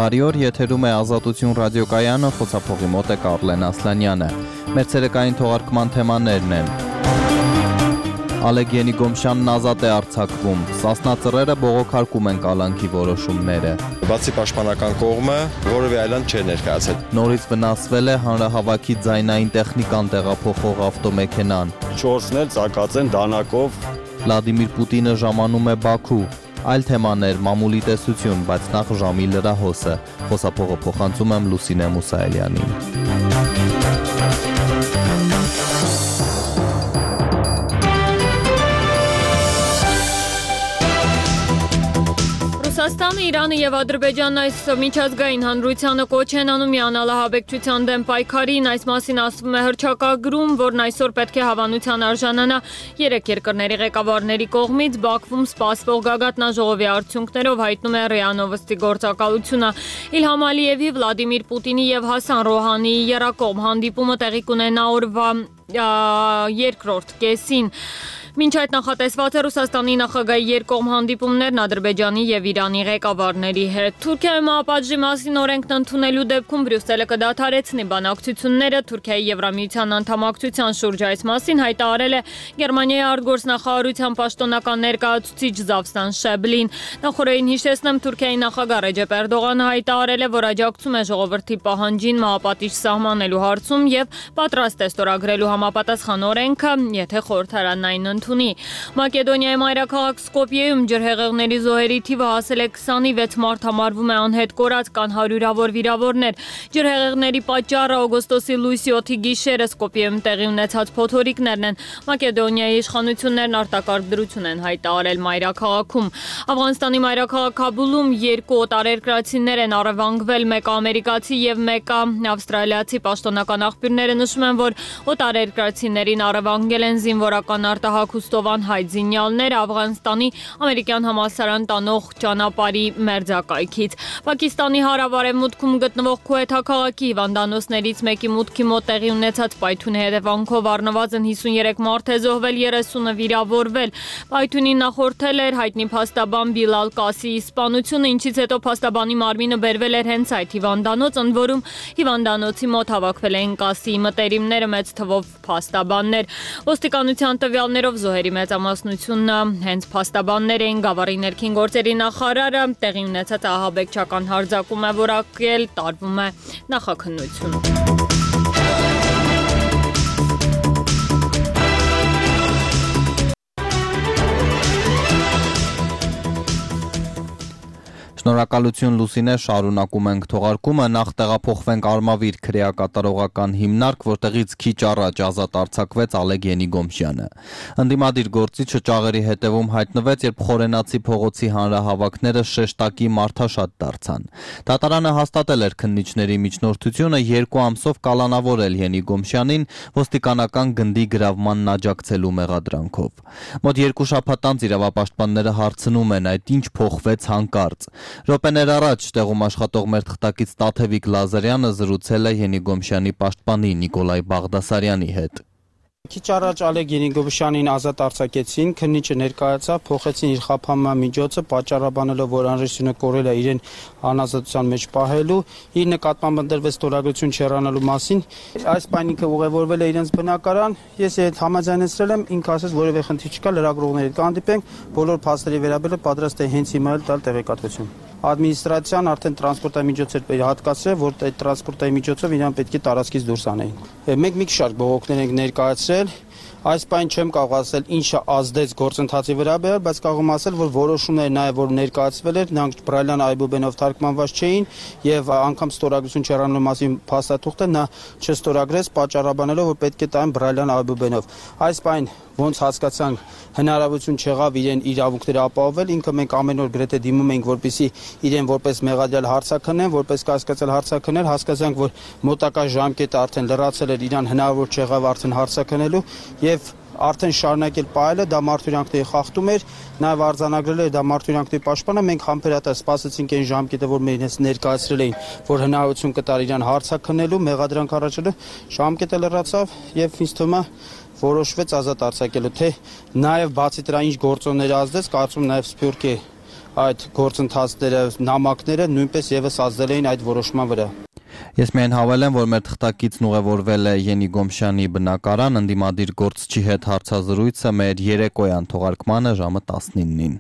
Բարի օր, եթերում է Ազատություն ռադիոկայանը, խոսափողի մոտ է Կարլեն Ասլանյանը։ Մեր ցերեկային թողարկման թեմաներն են. Ալեկ Ենիգոմշյանն ազատ է արձակվում, Սասնա ծռերը բողոքարկում են կալանքի որոշումները։ Բացի պաշտպանական կողմը որևէ այլանց չէր ներկայացել։ Նորից վնասվել է հանրահավաքի ձայնային տեխնիկան տեղափոխող ավտոմեքենան։ 4-ն էլ ծակած են դանակով։ Վլադիմիր Պուտինը ժամանում է Բաքու։ Այլ թեմաներ, մամուլի տեսություն, բայց նախ ժամի լրահոսը։ Խոսափողը փոխանցում եմ Լուսինե Մուսայելյանին։ Ռուսաստանը, Իրանը և Ադրբեջանն այս միջազգային հանրությանը կոչ են անում միանալ ահաբեկչության դեմ պայքարին, այս մասին ասվում է հռչակագրում, որն այսօր պետք է հավանության արժանանա 3 երկրների ղեկավարների կողմից Բաքվում սպասվող գագաթնաժողովի արդյունքներով, հայտնում է ՌԻԱ Նովոստի գործակալությունը։ Իլհամ Ալիևի, Վլադիմիր Պուտինի և Հասան Ռոհանիի եռակողմ հանդիպումը տեղի կունենա օրվա երկրորդ կեսին։ Մինչ այդ նախատեսված է Ռուսաստանի նախագահի երկկողմ հանդիպումներն Ադրբեջանի և Իրանի ղեկավարների հետ։ Թուրքիայում մահապատժի մասին օրենքն ընդունելու դեպքում Բրյուսելը կդադարեցնի բանակցությունները։ Թուրքիայի Եվրամիության անդամակցության շուրջ այս մասին հայտարարել է Գերմանիայի արտգործնախարարության պաշտոնական ներկայացուցիչ Զավսան Շեբլին։ Նախորդին հիշեցնեմ, Թուրքիայի նախագահ Ռեջեփ Էրդողանը հայտարարել է, որ աջակցում է ժողովրդի պահանջին մահապատիժ սահմանելու հարցում և պատրաստ է ստորագրելու համապատասխան օրենքը, եթե խորհրդարանն այն ընդունի։ Մակեդոնիայի մայրաքաղաք Սկոպիեում ջրհեղեղների զոհերի թիվը հասել է 20-ի, 6 մարդ համարվում է անհետ կորած, կան հարյուրավոր վիրավորներ։ Ջրհեղեղների պատճառը օգոստոսի լույսի 7-ի գիշերը Սկոպիեում տեղի ունեցած փոթորիկներն են։ Մակեդոնիայի իշխանություններն արտակարգ դրություն են հայտարարել մայրաքաղաքում։ Աֆղանստանի մայրաքաղաք Քաբուլում 2 օտարերկրացիներ են առևանգվել, մեկը ամերիկացի և մեկը ավստրալիացի։ Պաշտոնական աղբյուրները նշում են, որ օտարերկրացիներին առևանգել են զինվորական արտահայտության հայտ զինյալներ Աֆղանստանի ամերիկյան համալսարան տանող ճանապարհի մերձակայքից։ Պակիստանի հարավ-արևմուտքում գտնվող Քուեթա քաղաքի հիվանդանոցներից մեկի մուտքի մոտ տեղի ունեցած պայթյունի հետևանքով առնվազն 53 մարդ է զոհվել, 30-ը վիրավորվել։ Պայթյունին նախորդել էր հայտնի փաստաբան Բիլալ Կասիի սպանությունը, ինչից հետո փաստաբանի մարմինը բերվել էր հենց այդ հիվանդանոց, ընդ որում հիվանդանոցի մոտ հավաքվել էին Կասիի մտերիմները, մեծ թվով փաստաբաններ։ Ոստիկանության տվյալներով զոհերի մեծամասնությունը հենց փաստաբաններ էին։ Գավառի ներքին գործերի նախարարը տեղի ունեցած ահաբեկչական հարձակում է որակել, տարվում է նախաքննություն։ Շնորհակալություն Լուսինե, շարունակում ենք թողարկումը, նախ տեղափոխվենք Արմավիր քրեակատարողական հիմնարկ, որտեղից քիչ առաջ ազատ արձակվեց Ալեկ Ենիգոմշյանը։ Ընդդիմադիր գործիչը ճաղերի հետևում հայտնվեց, երբ Խորենացի փողոցի հանրահավաքները շեշտակի մարդաշատ դարձան։ Դատարանը հաստատել էր քննիչների միջնորդությունը 2 ամսով կալանավորել Ենիգոմշյանին ոստիկանական գնդի գրավմանն աջակցելու մեղադրանքով։ Մոտ 2 շաբաթ անց իրավապաշտպանները հարցնում են, այդ ինչ փոխվեց հանկարծ։ Րոպեներ առաջ տեղում աշխատող մեր թղթակից Տաթևիկ Լազարյանը զրուցել է Ենիգոմշյանի պաշտպանի Նիկոլայ Բաղդասարյանի հետ։ Քիչ առաջ Ալեկ Ենիգոմշյանին ազատ արձակեցին, քննիչը ներկայացավ, փոխեցին իր խափանման միջոցը, պատճառաբանելով, որ անհրաժեշտությունը կորել է իրեն անազատության մեջ պահելու, իր նկատմամբ ընտրվեց ստորագրություն չհեռանալու մասին։ Այս պայն ինքը ուղևորվել է իրենց բնակարան, ես այդ համաձայնեցրել եմ, ինքը ասաց որևէ խնդիր չկա, լրագրողների հետ կհանդիպենք, բոլոր փաստերի վերաբերյալ պատրաստ է հենց հիմա տալ տեղեկատվություն։ Ադմինիստրացիան արդեն տրանսպորտային միջոց էր հատկացրել, որ այդ տրանսպորտային միջոցով իրան պետք է տարածքից դուրս անեին։ Մենք մի շարք բողոքներ ենք ներկայացրել, այս պայն չեմ կարող ասել ինչը ազդեց գործընթացի վրա, բայց կարող եմ ասել, որ որոշումները նաև որ ներկայացվել էր, նրանք Բրայլյան Այբուբենով թարգմանված չէին եւ անգամ ստորագրություն չհեռանալու մասին փաստաթուղթը նա չստորագրեց, պատճառաբանելով, որ պետք է տային Բրայլյան Այբուբենով։ Այս պայն ոնց հասկացանք, հնարավորություն չեղավ իրեն իրավունքները ապահովել, ինքը մենք ամեն օր գրեթե դիմում ենք, որպեսզի իրեն որպես մեղադրյալ հարցաքննեն, որպես կասկածել հարցաքննել, հասկացանք, որ մոտակա ժամկետը արդեն լրացել էր, իրան հնարավոր չեղավ արդեն հարցաքննելու եւ արդեն շարունակել պահելը, դա մարդուրանքների խախտում էր, նաև արձանագրել էր դա մարդուրանքների պաշտպանը, մենք համբերատար սպասեցինք այն ժամկետը, որ մեր հենց ներկայացրել էին, որ հնարավորություն կտար իրան հարցաքննելու, մեղադրանք առաջելու, ժամկետը լրացավ եւ ինձ թվում է որոշվեց ազատ արձակելու, թե նաև բացի դրա ինչ գործոններ ազդեց, կարծում նաև Սփյուռքի այդ գործընթացները, նամակները նույնպես եւս ազդել էին այդ որոշման վրա։ Ես միայն հավելեմ, որ մեր թղթակիցն ուղևորվել է Յենի Գոմշյանի բնակարան, ընդդիմադիր գործչի հետ հարցազրույցը մեր երեկոյան թողարկմանը ժամը 19-ին։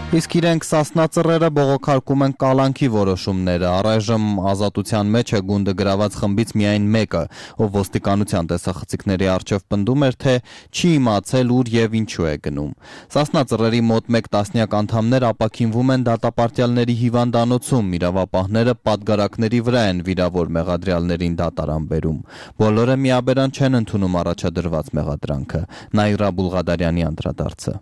Իսկ իրենք Սասնա ծռերը բողոքարկում են կալանքի որոշումները։ Առայժմ ազատության մեջ է գունդը գրաված խմբից միայն մեկը, ով ոստիկանության տեսախցիկների առջև պնդում էր, թե չի իմացել ուր եւ ինչու է գնում։ Սասնա ծռերի մոտ 1 տասնյակ անդամներ ապաքինվում են դատապարտյալների հիվանդանոցում, իրավապահները պատգարակների վրա են վիրավոր մեղադրյալներին դատարան բերում։ Բոլորը միաբերան չեն ընդունում առաջադրված մեղադրանքը։ Նաիրա Բուլղադարյանի անդրադարձը։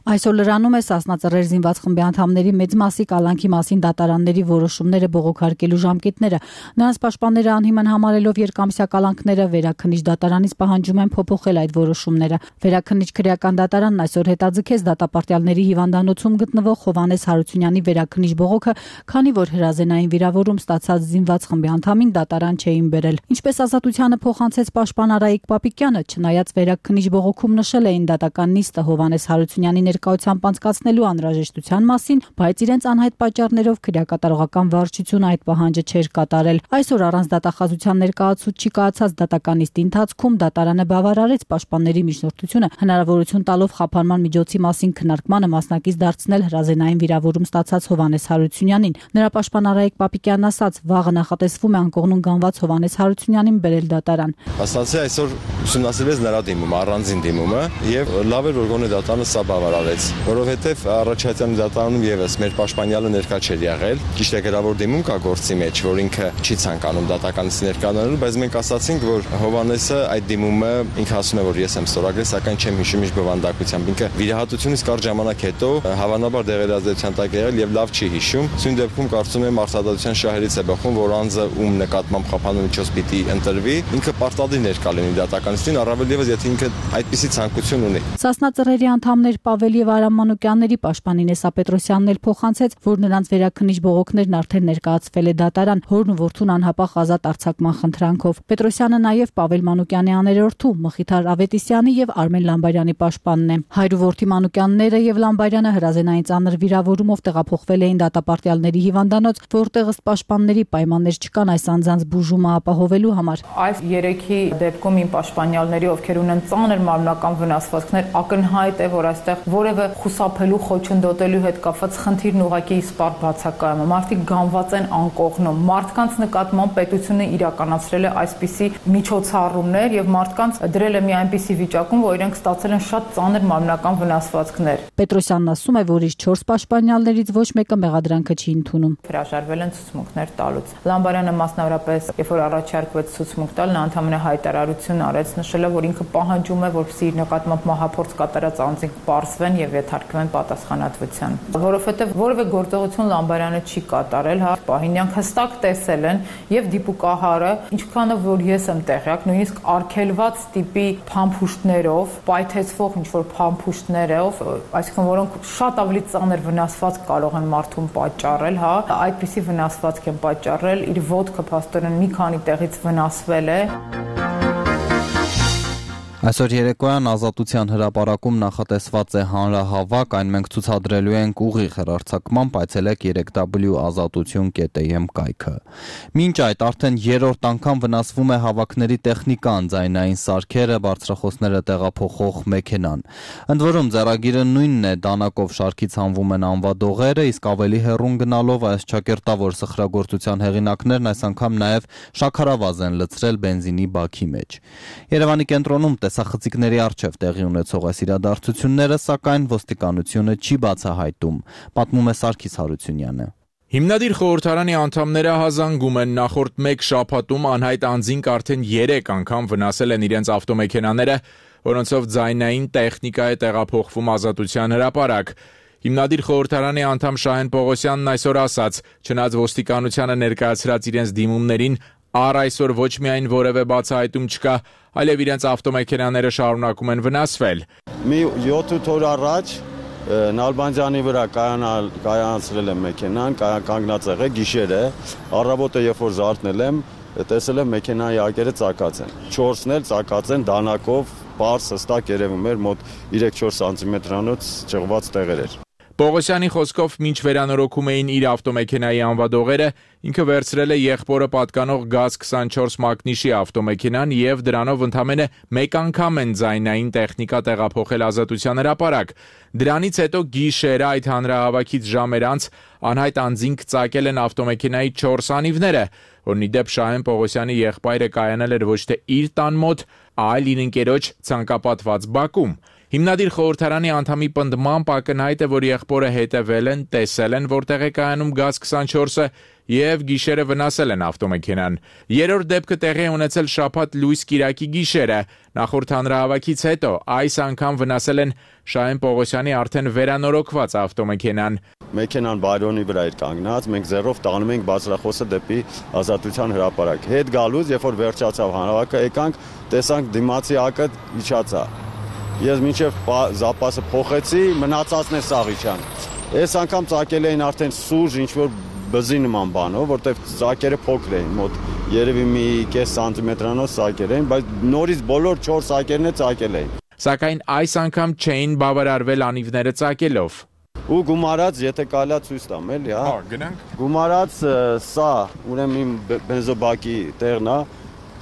Այսօր լրանում է Սասնա ծռեր զինված խմբի անդամների մեծ մասի կալանքի մասին դատարանների որոշումները բողոքարկելու ժամկետները։ Նրանց պաշտպանները անհիմն համարելով երկամսյա կալանքները վերաքննիչ դատարանից պահանջում են փոփոխել այդ որոշումները։ Վերաքննիչ քրեական դատարանն այսօր հետաձգեց դատապարտյալների հիվանդանոցում գտնվող Հովհաննես Հարությունյանի վերաքննիչ բողոքը, քանի որ հրազենային վիրավորում ստացած զինված խմբի անդամին դատարան չէին բերել։ Ինչպես ազատությանը փոխանցեց պաշտպան Արայիկ Պապիկյանը, չնայած վերաքննիչ բողոքում նշել էին դատական նիստը Հովհաննես Հարությունյանի ներկայությամբ անցկացնելու անհրաժեշտության մասին, բայց իրենց անհայտ պատճառներով քրեակատարողական վարչությունը այդ պահանջը չէր կատարել։ Այսօր առանց դատախազության ներկայացուցչի կայացած դատական նիստի ընթացքում դատարանը բավարարեց պաշտպանների միջնորդությունը, հնարավորություն տալով խափանման միջոցի մասին քննարկմանը մասնակից դարձնել հրազենային վիրավորում ստացած Հովհաննես Հարությունյանին։ Նրա պաշտպան Արայիկ Պապիկյանն ասաց, վաղը նախատեսվում է անկողնուն գանված Հովհաննես Հարությունյանին բերել դատարան։ Ասացի այսօր ուսումնասիրվեց նրա դիմումը, առանձին դիմումը, եւ լավ էր որ գոնե դատարանը սա բավարարեց, որովհետեւ առաջացյալի դատարանում եւս մեր պաշտպանյալը ներկա չէր եղել։ Ճիշտ է, գրավոր դիմում կա գործի մեջ, որ ինքը չի ցանկանում դատականից ներկանալու, բայց մենք ասացինք, որ Հովհաննեսը այդ դիմումը ինքը ասում է, որ ես եմ ստորագրել, սակայն չեմ հիշում ինչ բովանդակությամբ։ Ինքը վիրահատությունից կարճ ժամանակ հետո հավանաբար դեղերազդեցության տակ եղել եւ լավ չի հիշում։ Սույն դեպքում կարծում եմ արտադրության շահերից է բխում, որ անձը ում նկատմամբ խափանու միջոց պիտի ընտրվի, ինքը պարտադիր ներկա լինի դատականիստին, առավել եւս եթե ինքը այդպիսի ցանկություն ունի։ Սասնա ծռերի անդամներ Պավել եւ Արամ Մանուկյանների պաշտպան Ինեսա Պետրոսյանն էլ փոխանցեց, որ նրանց վերաքննիչ բողոքներն արդեն ներկայացվել է դատարան, հորն ու որդուն անհապաղ ազատ արձակման խնդրանքով։ Պետրոսյանը նաեւ Պավել Մանուկյանի աներորդու Մխիթար Ավետիսյանի եւ Արմեն Լամբարյանի պաշտպանն է։ Հայր ու որդի Մանուկյանները եւ Լամբարյանը հրազենային ծանր վիրավորումով տեղափոխվել էին դատապարտյալների հիվանդանոց, որտեղ ըստ պաշտպանների պայմաններ չկան այս անձանց բուժումը ապահովելու համար։ Այս երեքի դեպքում իմ պաշտպանյալների, ովքեր ունեն ծանր մարմնական վնասվածքներ, ակնհայտ է, որ այստեղ որևէ խուսափելու, խոչընդոտելու հետ կապված խնդիրն ուղղակի իսպառ բացակայում է։ Մարդիկ գանված են անկողնում։ Մարդկանց նկատմամբ պետությունը իրականացրել է այսպիսի միջոցառումներ եւ մարդկանց դրել է մի այնպիսի վիճակում, որ իրենք ստացել են շատ ծանր մարմնական վնասվածքներ։ Պետրոսյանն ասում է, որ իր 4 պաշտպանյալներից ոչ մեկը մեղադրանքը չի ընդունում։ Հրաժարվել են ցուցմունքներ տալուց։ Լամբարյանը մասնավորապես, երբ որ առաջարկվեց ցուցմունք տալ, նա ընդհանրապես հայտարարություն արեց, նշելով, որ ինքը պահանջում է, որպեսզի իր նկատմամբ մահափորձ կատարած անձինք պարզվեն եւ ենթարկվեն պատասխանատվության։ Որովհետեւ որևէ գործողություն Լամբարյանը չի կատարել, հա, պահինյանք հստակ տեսել են եւ դիպուկահարը, ինչքանով որ ես եմ տեղյակ, նույնիսկ արգելված տիպի փամփուշտներով, պայթեցվող ինչ որ փամփուշտներով, այսինքն որոնք շատ ավելի ծանր վնասվածք կարող են մարդուն պատճառել, հա, այդպիսի վնասվածք են պատճառել, իր ոտքը փաստորեն մի քանի տեղից վնասվել է։ Այսօր երեկոյան Ազատության հրապարակում նախատեսված է հանրահավաք, այն մենք ցուցադրելու ենք ուղիղ հեռարձակմամբ, այցելեք 3w.azatutun.am կայքը։ Մինչ այդ արդեն 3-րդ անգամ վնասվում է հավաքների տեխնիկան, ձայնային սարքերը, բարձրախոսները տեղափոխող մեքենան։ Ընդ որում ձեռագիրը նույնն է, դանակով շարքից հանվում են անվադողերը, իսկ ավելի հեռուն գնալով այս ճակերտավոր սխրագործության հեղինակներն այս անգամ նաև շաքարավազ են լցրել բենզինի բաքի մեջ։ Երևանի կենտրոնում տեսախցիկների առջև տեղի ունեցող այս իրադարձությունները, սակայն ոստիկանությունը չի բացահայտում, պատմում է Սարգիս Հարությունյանը։ Հիմնադիր խորհրդարանի անդամները հազանգում են նախորդ 1 շաբաթում անհայտ անձինք արդեն 3 անգամ վնասել են իրենց ավտոմեքենաները, որոնցով ձայնային տեխնիկա է տեղափոխվում Ազատության հրապարակ։ Հիմնադիր խորհրդարանի անդամ Շահեն Պողոսյանն այսօր ասաց, չնայած ոստիկանությանը ներկայացրած իրենց դիմումներին առ այսօր ոչ միայն որևէ բացահայտում չկա, այլև իրենց ավտոմեքենաները շարունակում են վնասվել։ Մի 7-8 օր առաջ Նալբանդյանի վրա կայանացրել եմ մեքենան, կանգնած եղել գիշերը, առավոտը երբ որ զարթնել եմ, տեսել եմ մեքենայի ակերը ծակած են։ 4-ն էլ ծակած են դանակով պարզ հստակ երևում էր մոտ 3-4 սանտիմետրանոց ճղված տեղեր էր։ Պողոսյանի խոսքով մինչ վերանորոգում էին իր ավտոմեքենայի անվադողերը, ինքը վերցրել է եղբորը պատկանող GAZ-24 մակնիշի ավտոմեքենան եւ դրանով ընդամենը մեկ անգամ են ձայնային տեխնիկա տեղափոխել Ազատության հրապարակ։ Դրանից հետո գիշերը այդ հանրահավաքից ժամեր անց անհայտ անձինք ծակել են ավտոմեքենայի 4 անիվները, որն ի դեպ Շահեն Պողոսյանի եղբայրը կայանել էր ոչ թե իր տան մոտ, այլ իր ընկերոջ ցանկապատված բակում։ Հիմնադիր խորհրդարանի անդամի պնդմամբ ակնհայտ է, որ եղբորը հետևել են, տեսել են, որտեղ է կայանում GAZ-24-ը եւ գիշերը վնասել են ավտոմեքենան։ Երրորդ դեպքը տեղի ունեցել շաբաթ լույս կիրակի գիշերը։ Նախորդ հանրահավաքից հետո այս անգամ վնասել են Շահեն Պողոսյանի արդեն վերանորոգված ավտոմեքենան։ Մեքենան բայրոնի վրա էր կանգնած, մենք ձեռով տանում ենք բարձրախոսը դեպի Ազատության հրապարակ։ Հետ գալուց, երբ որ վերջացավ հանրահավաքը, եկանք, տեսանք դիմացի ակը իջացա։ Ես մինչև զապասը փոխեցի, մնացածն է սաղ իջան։ Այս անգամ ծակել էին արդեն սուրճ, ինչ-որ բզի նման բանով, որտեղ ծակերը փոքր էին, մոտ երևի մի 0.5 սանտիմետրանոց ծակեր էին, բայց նորից բոլոր 4 ծակերն է ծակել էին։ Սակայն այս անգամ չէին բավարարվել անիվները ծակելով։ Ու գումարած, եթե կարելի է ցույց տամ, էլի, հա։ Գնանք։ Գումարած սա, ուրեմն իմ բենզոբակի տեղն է,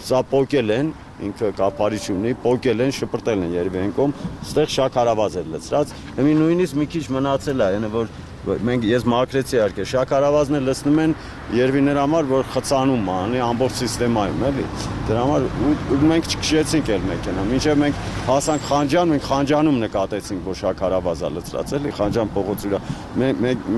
սա պոկել են, ինքը կապարիչ ունի, պոկել են, շպրտել են երևի են կողմ, ստեղ շաքարավազ էր լցրած, հիմի նույնիսկ մի քիչ մնացել է, այնը որ ես մաքրեցի իհարկե, շաքարավազն էլ լցնում են երևի նրա համար, որ խցանում անի ամբողջ սիստեմայում, էլի։ Դրա համար ու մենք չքշեցինք էլ մեքենա, մինչև մենք հասանք Խանջան, մենք Խանջանում նկատեցինք, որ շաքարավազա լցրած, էլի, Խանջան փողոցի վրա։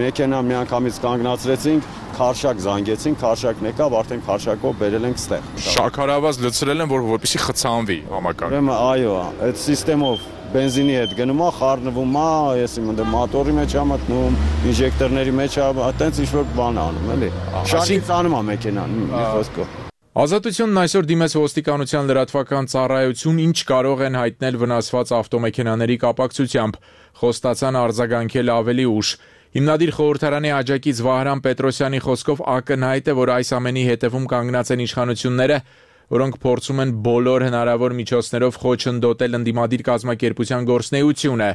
Մեքենա միանգամից կանգնացրեցինք, քարշակ զանգեցինք, քարշակն եկավ, արդեն քարշակով բերել ենք ստեղ։ Շաքարավազ լցրել են, որպեսզի խցանվի համակարգ։ Ուրեմն այո, այդ սիստեմով բենզինի հետ գնում է, խառնվում է, ես իմ ընդ մոտորի մեջ եմ մտնում, ինժեկտորների մեջ է, այտենց ինչ-որ բան անում, էլի։ Շարժից անում է մեքենան, մի խոսքով։ Ազատությունն այսօր դիմեց ոստիկանության լրատվական ծառայություն, ինչ կարող են հայտնել վնասված ավտոմեքենաների կապակցությամբ, խոստացան արձագանքել ավելի ուշ։ Հիմնադիր խորհրդարանի աջակից Վահրամ Պետրոսյանի խոսքով ակնհայտ է, որ այս ամենի հետևում կանգնած են իշխանությունները, որոնք փորձում են բոլոր հնարավոր միջոցներով խոչընդոտել ընդդիմադիր կազմակերպության գործունեությունը։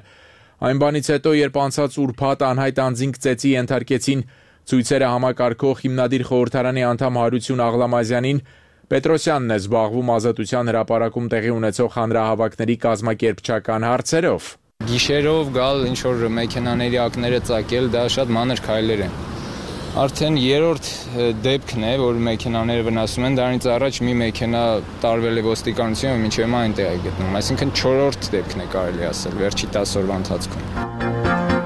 Այն բանից հետո, երբ անցած ուրբաթ անհայտ անձինք ծեծի ենթարկեցին ցույցերը համակարգող հիմնադիր խորհրդարանի անդամ Հարություն Աղլամազյանին, Պետրոսյանն է զբաղվում Ազատության հրապարակում տեղի ունեցող հանրահավաքների կազմակերպչական հարցերով։ Գիշերով գալ ինչ-որ մեքենաների ակները ծակել, դա շատ մանր քայլեր են։ Արդեն երրորդ դեպքն է, որ մեքենաները վնասում են, դրանից առաջ մի մեքենա տարվել է ոստիկանություն, մինչև հիմա այնտեղ է գտնվում, այսինքն 4-րդ դեպքն է կարելի ասել վերջի 10 օրվա ընթացքում։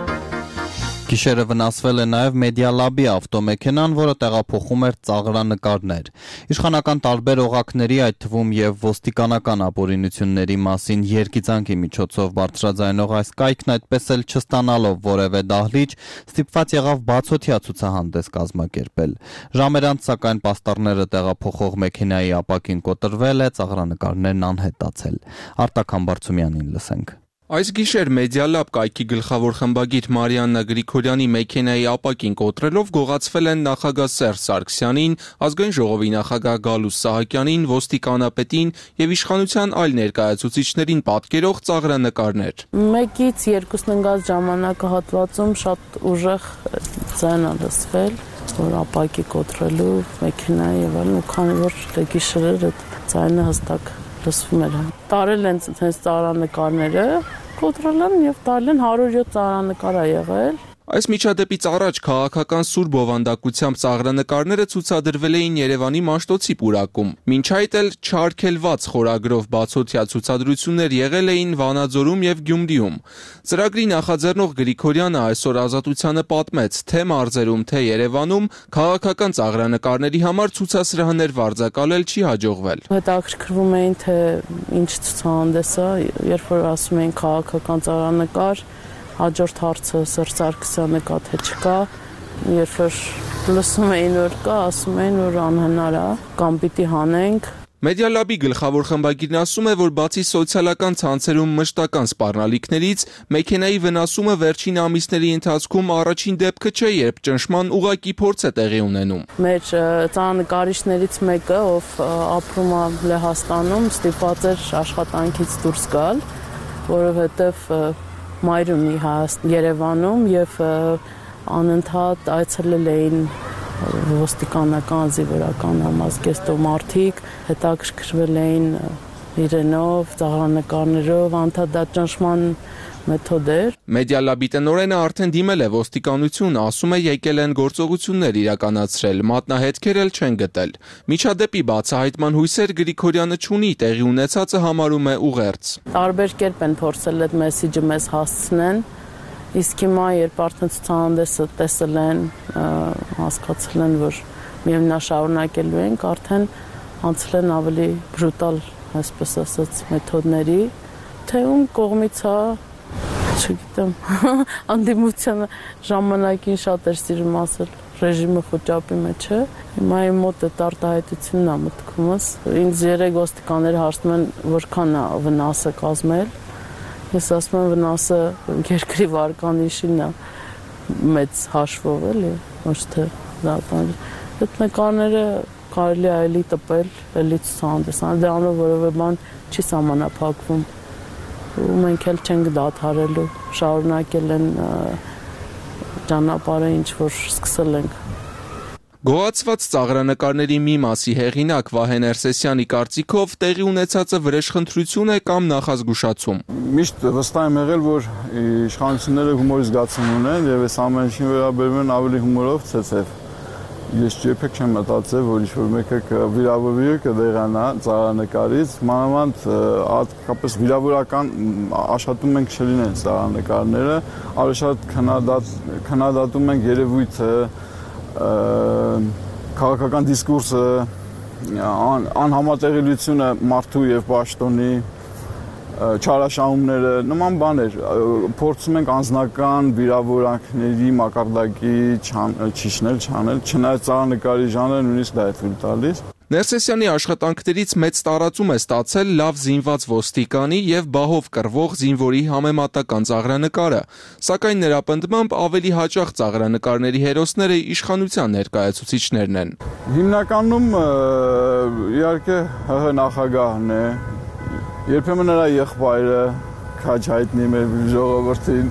Գիշերը վնասվել է նաև Մեդիալաբի ավտոմեքենան, որը տեղափոխում էր ծաղրանկարներ։ Իշխանական տարբեր օղակների, այդ թվում եւ ոստիկանական ապօրինությունների մասին երգիծանքի միջոցով բարձրաձայնող այս կայքն այդպես էլ չստանալով որևէ դահլիճ, ստիպված եղավ բացօթյա ցուցահանդես կազմակերպել։ Ժամեր անց սակայն պաստառները տեղափոխող մեքենայի ապակին կոտրվել է, ծաղրանկարներն անհետացել։ Արտակ Համբարձումյանին լսենք։ Այս գիշեր Մեդիալաբ կայքի գլխավոր խմբագիր Մարիաննա Գրիգորյանի մեքենայի ապակին կոտրելով գողացվել են նախագահ Սերժ Սարգսյանին, ազգային ժողովի նախագահ Գալուստ Սահակյանին, ոստիկանապետին եւ իշխանության այլ ներկայացուցիչներին պատկերող ծաղրանկարներ։ 1-ից 2 ընկած ժամանակահատվածում շատ ուժեղ ձայն է լսվել, որ ապակի կոտրելու մեքենայի եւ այլն, ու քանի որ գիշերեր այդ ձայնը հստակ լսվում էր։ Տարել են հենց ծաղրանկարները, կոտրել են եւ տարել են 107 ծաղրանկար է եղել։ Այս միջադեպից առաջ քաղաքական սուր բովանդակությամբ ծաղրանկարները ցուցադրվել էին Երևանի Մաշտոցի պուրակում։ Մինչ այդ էլ չարգելված խորագրով բացօթյա ցուցադրություններ եղել էին Վանաձորում եւ Գյումրիում։ Ծրագրի նախաձեռնող Գրիգորյանը այսօր Ազատությանը պատմեց, թե մարզերում, թե Երևանում քաղաքական ծաղրանկարների համար ցուցասրահներ վարձակալել չի հաջողվել։ Հետաքրքրվում էին, թե ինչ ցուցահանդես է, երբ որ ասում էին քաղաքական ծաղրանկար, հաջորդ հարցը Սերժ Սարգսյանը կա թե չկա, երբ որ լսում էին որ կա, ասում էին որ անհնար է, կամ պիտի հանենք։ Media Lab-ի գլխավոր խմբագիրն ասում է, որ բացի սոցիալական ցանցերում մշտական սպառնալիքներից, մեքենայի վնասումը վերջին ամիսների ընթացքում առաջին դեպքը չէ, երբ ճնշման ուղղակի փորձ է տեղի ունենում։ Մեր ծանրանկարիչներից մեկը, ով ապրում է Լեհաստանում, ստիպված էր աշխատանքից դուրս գալ, որովհետև մայր ունի Երևանում եւ անընդհատ այցելել էին ոստիկանական զինվորական համազգեստով մարդիկ, հետաքրքրվել էին իրենով, ծաղրանկարներով, անդադար ճնշման մեթոդ էր։ Media Lab-ի տնօրենը արդեն դիմել է ոստիկանություն, ասում է եկել են գործողություններ իրականացրել, մատնահետքեր էլ չեն գտել։ Միջադեպի բացահայտման հույսեր Գրիգորյանը չունի, տեղի ունեցածը համարում է ուղերձ։ Տարբեր կերպ են փորձել այդ մեսիջը մեզ հասցնեն, իսկ հիմա երբ արդեն ցուցահանդեսը տեսել են, հասկացել են, որ միևնաշարունակելու ենք, արդեն անցել են ավելի բրուտալ, այսպես ասած, մեթոդների, թե ում կողմից է, չգիտեմ, անդիմությանը ժամանակին շատ էր սիրում ասել, ռեժիմը խոճապի մեջ է, հիմա իմ մոտ այդ արտահայտությունն է մտքումս, ինձ 3 ոստիկաններ հարցնում են, որքան է վնասը կազմել, ես ասում եմ վնասը երկրի վարկանիշին է մեծ հաշվով էլի, ոչ թե դատան, այդ նկարները կարելի է էլի տպել, էլի ցուցահանդեսան, դրանով որևէ բան չի սահմանափակվում, ու մենք էլ չենք դադարելու, շարունակել են ճանապարհը ինչ որ սկսել ենք։ Գոհացված ծաղրանկարների մի մասի հեղինակ Վահե Ներսեսյանի կարծիքով տեղի ունեցածը վրեժխնդրություն է կամ նախազգուշացում։ Միշտ վստահ եմ եղել, որ իշխանությունները հումորի զգացում ունեն եւ այս ամեն ինչին վերաբերում են ավելի հումորով ցեցև։ Ես երբեք չեմ մտածել, որ ինչ-որ մեկը վիրավորվի կդեղանա ծաղրանկարից, մանավանդ հատկապես վիրավորական աշխատում ենք չլինեն ծաղրանկարները, ավելի շատ քննադատում ենք երևույթը, քաղաքական դիսկուրսը, անհամատեղելիությունը մարդու եւ պաշտոնի, չարաշահումները, նման բաներ, փորձում ենք անձնական վիրավորանքների մակարդակի չիջնել, չանել, չնայած ծաղրանկարի ժանրը նույնիսկ դա է թույլ տալիս։ Ներսեսյանի աշխատանքներից մեծ տարածում է ստացել լավ զինված ոստիկանի եւ բահով կռվող զինվորի համեմատական ծաղրանկարը, սակայն նրա պնդմամբ ավելի հաճախ ծաղրանկարների հերոսները իշխանության ներկայացուցիչներն են։ Հիմնականում իհարկե ՀՀ նախագահն է, երբեմն նրա եղբայրը քաջ հայտնի մեր ժողովրդին,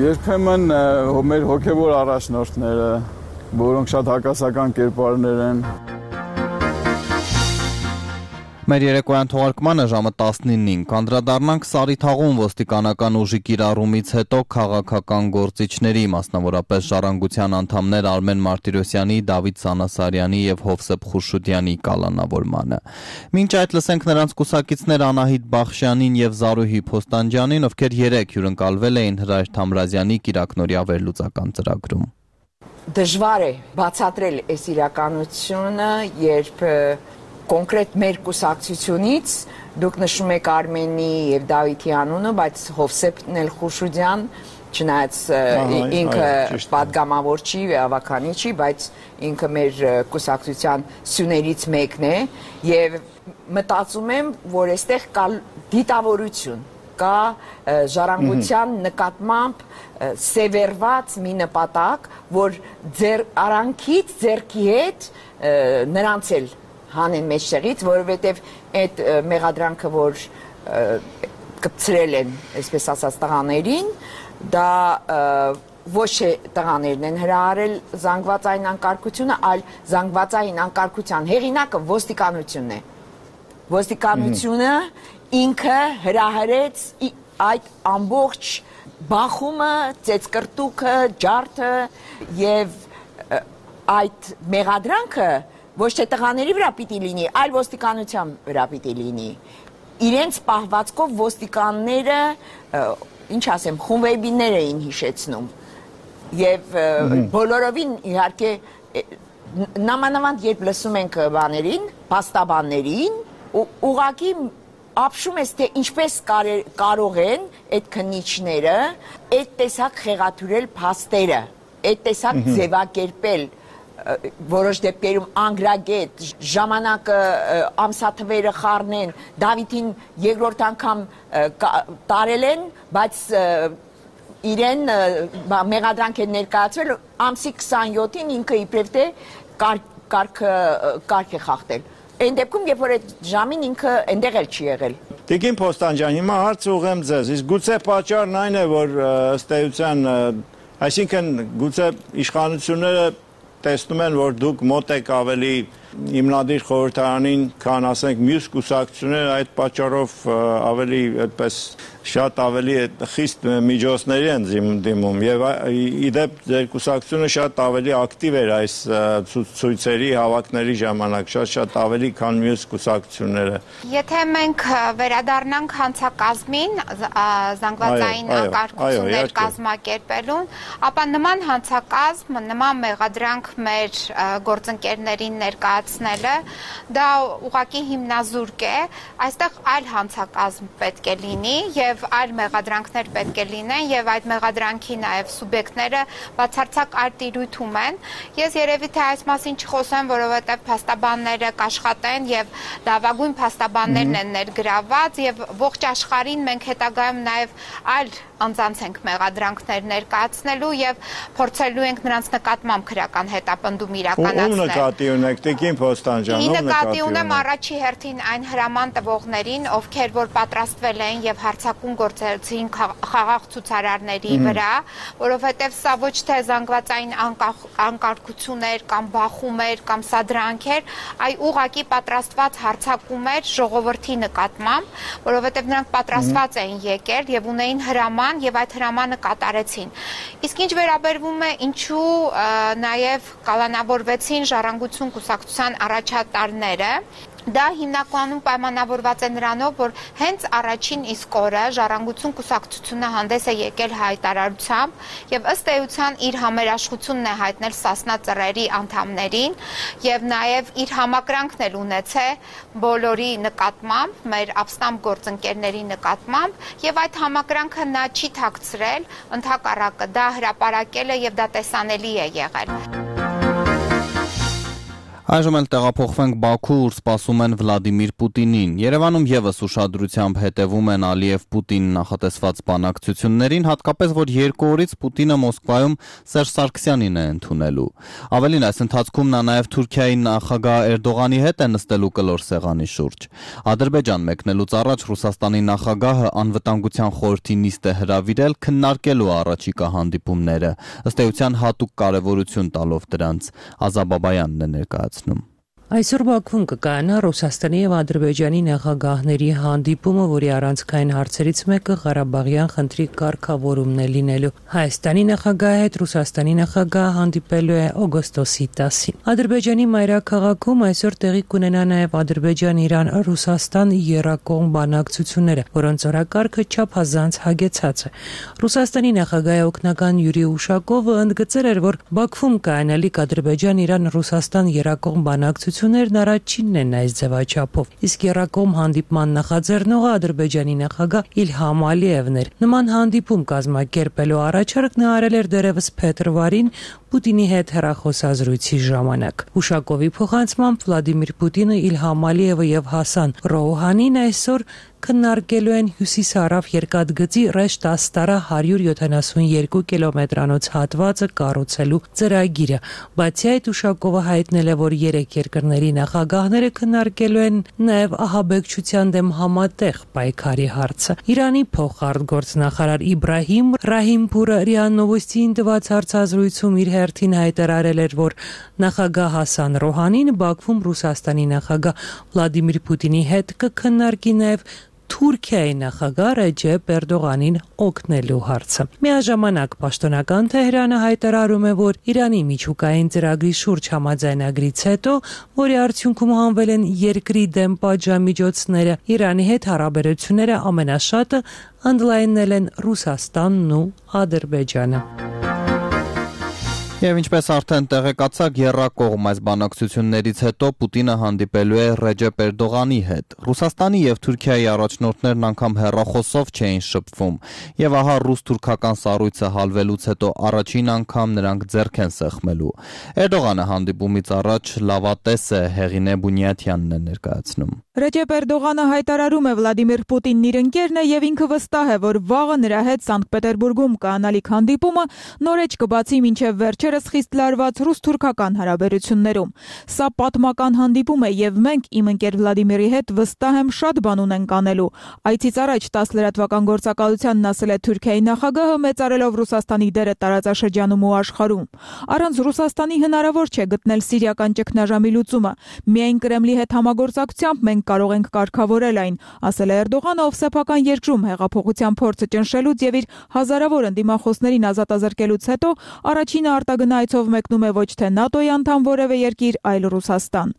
երբեմն մեր հոգեվոր առաջնորդները, որոնք շատ հակասական կերպարներ են։ Մեր երեկոյան թողարկմանը ժամը 19-ին կանդրադառնանք Սարիթաղում ոստիկանական ուժի կիրառումից հետո քաղաքական գործիչների, մասնավորապես Ժառանգության անդամներ Արմեն Մարտիրոսյանի, Դավիթ Սանասարյանի եւ Հովսեփ Խուրշուդյանի կալանավորմանը։ Մինչ այդ լսենք նրանց կուսակիցներ Անահիտ Բախշյանին եւ Զարուհի Փոստանջյանին, ովքեր 3 հյուրընկալվել էին Հրայր Թամրազյանի կիրակնօրյա վերլուծական ծրագրում։ Դժվար է բացատրել այս իրականությունը, երբ կոնկրետ մեր կուսակցությունից դուք նշում եք Արմենի եւ Դավիթի անունը, բայց Հովսեփն էլ Խուրշուդյան, չնայած ինքը պատգամավոր չի, ավականի չի, բայց ինքը մեր կուսակցության սյուներից մեկն է եւ մտածում եմ, որ այստեղ կա դիտավորություն, կա ժառանգության նկատմամբ սևեռված մի նպատակ, որ ձեր արանքից ձերքի հետ նրանց էլ հանեն մեջտեղից, որովհետև այդ մեղադրանքը, որ կպցրել են, այսպես ասած, տղաներին, դա ոչ թե տղաներն են հրահարել զանգվածային անկարգությունը, այլ զանգվածային անկարգության հեղինակը ոստիկանությունն է։ Ոստիկանությունը ինքը հրահարեց այդ ամբողջ բախումը, ծեծկրտուքը, ջարդը եւ այդ մեղադրանքը ոչ թե տղաների վրա պիտի լինի, այլ ոստիկանության վրա պիտի լինի։ Իրենց պահվածքով ոստիկանները, ինչ ասեմ, խումբեբիներ էին հիշեցնում։ Եվ բոլորովին իհարկե նամանավանդ երբ լսում ենք բաներին, փաստաբաններին, ուղղակի ապշում ես, թե ինչպես կարող են այդ քննիչները այդ տեսակ խեղաթյուրել փաստերը, այդ տեսակ ձևակերպել որոշ դեպքերում անգրագետ ժամանակը ամսաթվերը խառնեն Դավիթին երկրորդ անգամ տարել են, բայց իրեն մեղադրանք են ներկայացվել ամսի 27-ին ինքը իբրև թե կարգ է խախտել։ Այն դեպքում, երբ որ այդ ժամին ինքը այնտեղ էլ չի եղել։ Տիկին Փոստան ջան, հիմա հարց ուղղեմ ձեզ, իսկ գուցե պատճառն այն է, որ ըստ էության, այսինքն գուցե իշխանությունները տեսնում են, որ դուք մոտ եք ավելի հիմնադիր խորհրդարանին, քան ասենք մյուս կուսակցությունները, այդ պատճառով ավելի այդպես շատ ավելի խիստ միջոցների են դիմում եւ իդեպ ձեր կուսակցությունը շատ ավելի ակտիվ էր այս ցույցերի հավաքների ժամանակ, շատ ավելի քան մյուս կուսակցությունները։ Եթե մենք վերադառնանք հանցակազմին, զանգվածային անկարգություններ կազմակերպելուն, ապա նման հանցակազմ, նման մեղադրանք մեր գործընկերներին ներկայացնելը դա ուղղակի հիմնազուրկ է, այստեղ այլ հանցակազմ պետք է լինի եւ այլ մեղադրանքներ պետք է լինեն եւ այդ մեղադրանքի նաեւ սուբյեկտները բացարձակ այլ տիրույթում են։ Ես երևի թե այս մասին չխոսեմ, որովհետեւ փաստաբանները կաշխատեն եւ լավագույն փաստաբաններն են ներգրաված եւ ողջ աշխարհին մենք հետագայում նաեւ այլ անձանց ենք մեղադրանքներ ներկայացնելու եւ փորձելու ենք նրանց նկատմամբ քրական հետապնդում իրականացնել։ Ում նկատի ունեք, Տիկին Փոստան ջան, ում նկատի ունեմ առաջի հերթին այն հրաման տվողներին, ովքեր որ պատրաստվել են եւ հարձակում գործեցին խաղաղ ցուցարարների վրա, որովհետեւ սա ոչ թե զանգվածային անկարգություններ կամ բախումներ կամ սադրանքեր, այլ ուղղակի պատրաստված հարձակում էր ժողովրդի նկատմամբ, որովհետեւ նրանք պատրաստված էին եկել եւ ունեին հրաման եւ այդ հրամանը կատարեցին։ Իսկ ինչ վերաբերվում է ինչու նաեւ կալանավորվեցին Ժառանգություն կուսակցության առաջատարները, դա հիմնականում պայմանավորված է նրանով, որ հենց առաջին իսկ օրը Ժառանգություն կուսակցությունը հանդես է եկել հայտարարությամբ եւ ըստ էության իր համերաշխությունն է հայտնել Սասնա ծռերի անդամներին եւ նաեւ իր համակրանքն էլ ունեցել բոլորի նկատմամբ, մեր ապստամբ գործընկերների նկատմամբ եւ այդ համակրանքը նա չի թաքցրել, ընդհակառակը դա հրապարակել է եւ դա տեսանելի է եղել։ Այժմ էլ տեղափոխվենք Բաքու, ուր սպասում են Վլադիմիր Պուտինին։ Երևանում եւս ուշադրությամբ հետևում են Ալիև-Պուտին նախատեսված բանակցություններին, հատկապես որ երկու օրից Պուտինը Մոսկվայում Սերժ Սարգսյանին է ընդունելու։ Ավելին, այս ընթացքում նա նաեւ Թուրքիայի նախագահ Էրդողանի հետ է նստելու կլոր սեղանի շուրջ։ Ադրբեջան մեկնելուց առաջ Ռուսաստանի նախագահը անվտանգության խորհրդի նիստ է հրավիրել քննարկելու առաջիկա հանդիպումները, ըստ էության հատուկ կարևորություն տալով դրանց։ Ազաբաբայանն է ներկայացնում։ Այսօր Բաքվում կկայանա Ռուսաստանի եւ Ադրբեջանի նախագահների հանդիպումը, որի առանցքային հարցերից մեկը Ղարաբաղյան խնդրի կարգավորումն է լինելու։ Հայաստանի նախագահի հետ Ռուսաստանի նախագահը հանդիպելու է օգոստոսի 10-ին։ Ադրբեջանի մայրաքաղաքում այսօր տեղի կունենա նաեւ Ադրբեջան-Իրան-Ռուսաստան եռակողմ բանակցությունները, որոնց օրակարգը չափազանց հագեցած է։ Ռուսաստանի նախագահի օգնական Յուրի Ուշակովը ընդգծել էր, որ Բաքվում կայանալիք Ադրբեջան-Իրան-Ռուսաստան եռակողմ բանակցություններն առաջինն են այս ձևաչափով, իսկ եռակողմ հանդիպման նախաձեռնողը Ադրբեջանի նախագահ Իլհամ Ալիևն էր։ Նման հանդիպում կազմակերպելու առաջարկ նա արել էր դեռևս փետրվարին Պուտինի հետ հեռախոսազրույցի ժամանակ։ Ուշակովի փոխանցմամբ Վլադիմիր Պուտինը, Իլհամ Ալիևը եւ Հասան Ռոուհանին այսօր քննարկելու են հյուսիսարավ երկաթգծի Ռեշտ-Աստարա 172 կիլոմետրանոց հատվածը կառուցելու ծրագիրը։ Բացի այդ, Ուշակովը հայտնել է, որ երեք երկրների նախագահները քննարկելու են նաև ահաբեկչության դեմ համատեղ պայքարի հարցը։ Իրանի փոխարտգործնախարար Իբրահիմ Ռահիմփուրը ՌԻԱ Նովոստիին տված հարցազրույցում իր հերթին հայտարարել էր, որ նախագահ Հասան Ռոհանին Բաքվում Ռուսաստանի նախագահ Վլադիմիր Պուտինի հետ կքննարկի նաև Թուրքիայի նախագահ Ռեջեփ Էրդողանին օգնելու հարցը։ Միաժամանակ պաշտոնական Թեհրանը հայտարարում է, որ Իրանի միջուկային ծրագրի շուրջ համաձայնագրից հետո, որի արդյունքում հանվել են երկրի դեմ պատժամիջոցները, Իրանի հետ հարաբերությունները ամենաշատը ընդլայնել են Ռուսաստանն ու Ադրբեջանը։ Եվ ինչպես արդեն տեղեկացաք, եռակողմ այս բանակցություններից հետո Պուտինը հանդիպելու է Ռեջեփ Էրդողանի հետ։ Ռուսաստանի եւ Թուրքիայի առաջնորդներն անգամ հեռախոսով չէին շփվում, եւ ահա ռուս-թուրքական սառույցը հալվելուց հետո առաջին անգամ նրանք ձեռք են սեղմելու։ Էրդողանը հանդիպումից առաջ լավատես է, Հեղինե Բունյաթյանն է ներկայացնում։ Ռեջեփ Էրդողանը հայտարարում է Վլադիմիր Պուտինն իր ընկերն է եւ ինքը վստահ է, որ վաղը նրա հետ Սանկտ Պետերբուրգում կանալիք հանդիպումը նորեջ կբացի մինչեւ վերջերս խիստ լարված ռուս-թուրքական հարաբերություններում։ Սա պատմական հանդիպում է եւ մենք իմ ընկեր Վլադիմիրի հետ վստահ եմ շատ բան ունենք անելու։ Այցից առաջ 10 լրատվական գործակալությանն ասել է Թուրքիայի նախագահը, մեծարելով Ռուսաստանի դերը տարածաշրջանում ու աշխարհում։ Առանց Ռուսաստանի հնարավոր չէ գտնել սիրիական ճգնաժամի լուծումը։ Միայն Կրեմլի հետ համագործակցությամբ մենք կարող ենք կարգավորել այն, ասել է Էրդողանը, ով սեփական երկրում հեղափոխության փորձը ճնշելուց եւ իր հազարավոր ընդդիմախոսներին ազատազրկելուց հետո առաջինը արտագնա այցով մեկնում է ոչ թե ՆԱՏՕ-ի անդամ որևէ երկիր, այլ Ռուսաստան։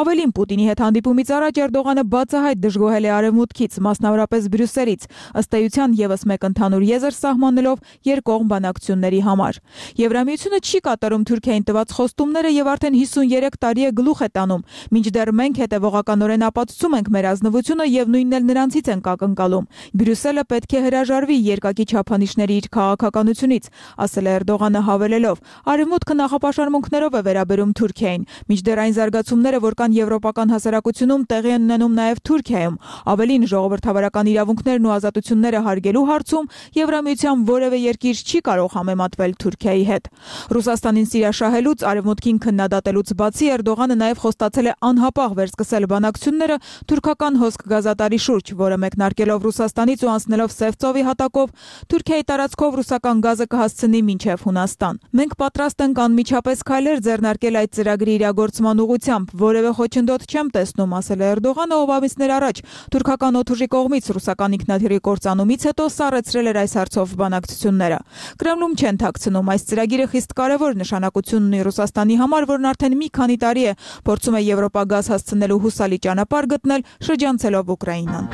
Ավելին, Պուտինի հետ հանդիպումից առաջ Էրդողանը բացահայտ դժգոհել է Արևմուտքից, մասնավորապես Բրյուսելից, ըստ էության եւս մեկ ընդհանուր եզր սահմանելով երկկողմ բանակցությունների համար։ Եվրամիությունը չի կատարում Թուրքիային տված խոստումները եւ արդեն 53 տարի է գլուխ է տանում, մինչդեռ մենք հետեւողականորեն ապացուցում ենք մեր ազնվությունը եւ նույնն էլ նրանցից ենք ակնկալում։ Բրյուսելը պետք է հրաժարվի երկակի չափանիշների իր քաղաքականությունից, ասել է Էրդողանը հավելելով. Արևմուտքը նախապաշարմունքներով է վերաբերում Թուրքիային, մինչդեռ այն զարգացումները, որ կան եվրոպական հասարակությունում, տեղի են ունենում նաեւ Թուրքիայում։ Ավելին, ժողովրդավարական իրավունքներն ու ազատությունները հարգելու հարցում Եվրամիության որևէ երկիր չի կարող համեմատվել Թուրքիայի հետ։ Ռուսաստանին սիրաշահելուց, արևմուտքին քննադատելուց բացի Էրդողանը նաեւ խոստացել է անհապաղ վերսկսել բանակցությունները թուրքական հոսք գազատարի շուրջ, որը մեկնարկելով Ռուսաստանից ու անցնելով Սև ծովի հատակով Թուրքիայի տարածքով ռուսական գազը կհասցնի մինչև Հունաստան։ Մենք պատրաստ ենք անմիջապես քայլեր ձեռնարկել այդ ծրագրի իրագործման ուղղությամբ, որևէ խոչընդոտ չեմ տեսնում, ասել է Էրդողանը, ով ամիսներ առաջ թուրքական օդուժի կողմից ռուսական ինքնաթիռի կործանումից հետո սառեցրել էր այս հարցով բանակցությունները։ Կրեմլում չեն թաքցնում, այս ծրագիրը խիստ կարևոր նշանակություն ունի Ռուսաստանի համար, որն արդեն մի քանի տարի է փորձում է Եվրոպա գազ հասցնելու հուսալի ճանապարհ գտնել շրջանցելով Ուկրաինան։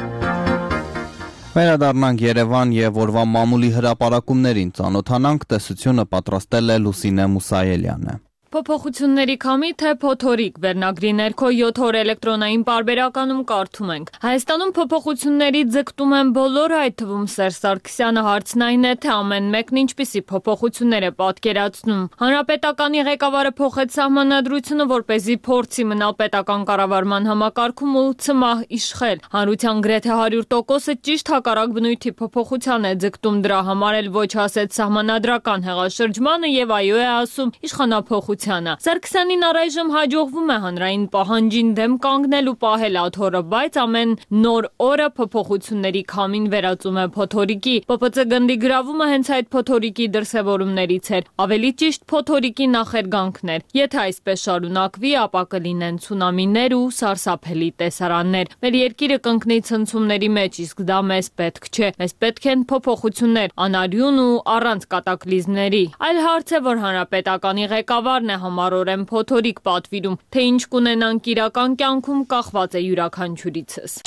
Վերադառնանք Երևան եւ օրվա մամուլի հրապարակումներին ծանոթանանք, տեսությունը պատրաստել է Լուսինե Մուսայելյանը։ Փոփոխությունների քամի թե փոթորիկ վերնագրի ներքո 7 օր էլեկտրոնային պարբերականում կարդում ենք։ Հայաստանում փոփոխությունների ձգտում են բոլորը, այդ թվում Սերժ Սարգսյանը, հարցն այն է, թե ամեն մեկն ինչպիսի փոփոխություններ է պատկերացնում։ Հանրապետականի ղեկավարը փոխեց սահմանադրությունը, որպեսզի փորձի մնալ պետական կառավարման համակարգում ու ցմահ իշխել։ Հանրության գրեթե 100%-ը ճիշտ հակառակ բնույթի փոփոխության է ձգտում, դրա համար էլ ոչ ասեց սահմանադրական հեղաշրջմանը եւ այո է ասում իշխանափոխ Սարգսյանին առայժմ հաջողվում է հանրային պահանջին դեմ կանգնել ու պահել աթոռը, բայց ամեն նոր օրը փոփոխությունների քամին վերածում է փոթորիկի։ ՊՊՑ գնդի գրավումը հենց այդ փոթորիկի դրսևորումներից էր, ավելի ճիշտ փոթորիկի նախերգանքներ։ Եթե այսպես շարունակվի, ապա կլինեն ցունամիներ ու սարսափելի տեսարաններ։ Մեր երկիրը կընկնի ցնցումների մեջ, իսկ դա մեզ պետք չէ։ Մեզ պետք են փոփոխություններ, անարյուն ու առանց կատակլիզմների։ Այլ հարց է, որ հանրապետականի ղեկավարն համառորեն փոթորիկ պատվիրում, թե ինչ կունենանք իրական կյանքում կախված է յուրաքանչյուրիցս։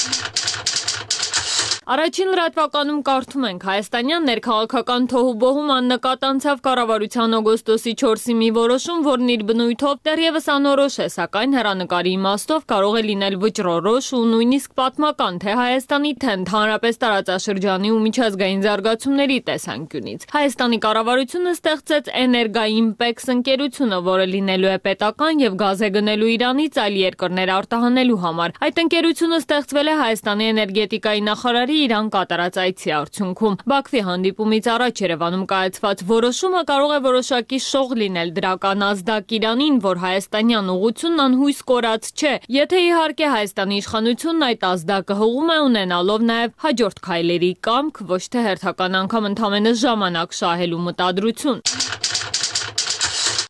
Առաջին լրատվականում կարդում ենք հայաստանյան ներքաղաքական թոհուբոհում աննկատ անցավ կառավարության օգոստոսի 4-ի մի որոշում, որն իր բնույթով դեռևս անորոշ է, սակայն հեռանկարի իմաստով կարող է լինել վճռորոշ ու նույնիսկ պատմական թե Հայաստանի, թե ընդհանրապես տարածաշրջանի ու միջազգային զարգացումների տեսանկյունից։ Հայաստանի կառավարությունը ստեղծեց Էներգաիմպեքս ընկերությունը, որը լինելու է պետական եւ գազ է գնելու Իրանից այլ երկրներ արտահանելու համար։ Այդ ընկերությունը ստեղծվել է Հայաստանի էներգետիկայի նախարարի Իրան կատարած այցի արդյունքում։ Բաքվի հանդիպումից առաջ Երևանում կայացված որոշումը կարող է որոշակի շող լինել դրական ազդակ Իրանին, որ հայաստանյան ուղղությունն անհույս կորած չէ։ Եթե իհարկե Հայաստանի իշխանությունն այդ ազդակը հողում է ունենալով նաև հաջորդ քայլերի կամք, ոչ թե հերթական անգամ ընդամենը ժամանակ շահելու մտադրություն։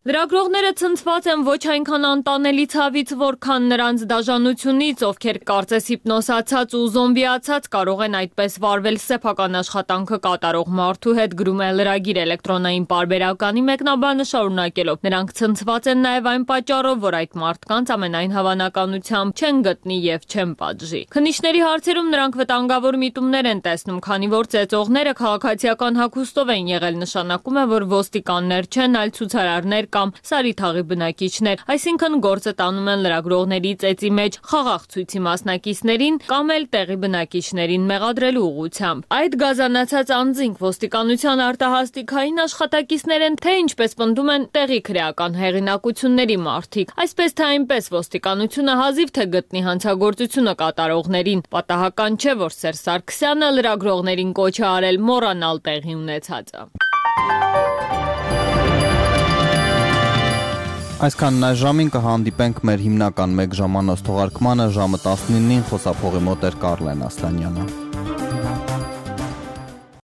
Լրագրողները ցնցված են ոչ այնքան անտանելի ցավից, որքան նրանց դաժանությունից, ովքեր կարծես հիպնոսացած ու զոմբիացած կարող են այդպես վարվել սեփական աշխատանքը կատարող մարդու հետ, գրում է լրագիր էլեկտրոնային պարբերականի մեկնաբանը շարունակելով։ Նրանք ցնցված են նաև այն պատճառով, որ այդ մարդկանց ամենայն հավանականությամբ չեն գտնի եւ չեն պատժի։ Քննիչների հարցերում նրանք վտանգավոր միտումներ են տեսնում, քանի որ ծեծողները քաղաքացիական հագուստով են եղել, նշանակում է, որ ոստիկաններ չեն, այլ ցուցարարներ կամ Սարիթաղի բնակիչներ, այսինքն գործը տանում են լրագրողների ծեծի մեջ խաղաղ ցույցի մասնակիցներին կամ էլ տեղի բնակիչներին մեղադրելու ուղղությամբ։ Այդ գազանացած անձինք ոստիկանության արտահասթիկային աշխատակիցներ են, թե ինչպես պնդում են տեղի քրեական հեղինակությունների մարդիկ։ Այսպես թե այնպես ոստիկանությունը հազիվ թե գտնի հանցագործությունը կատարողներին։ Պատահական չէ, որ Սերժ Սարգսյանը լրագրողներին կոչ է արել մոռանալ տեղի ունեցածը։ Այսքանն այս ժամին կհանդիպենք մեր հիմնական 1 ժամանոց թողարկմանը ժամը 19-ին խոսափողի մոտ էր Կարլեն Ասլանյանը։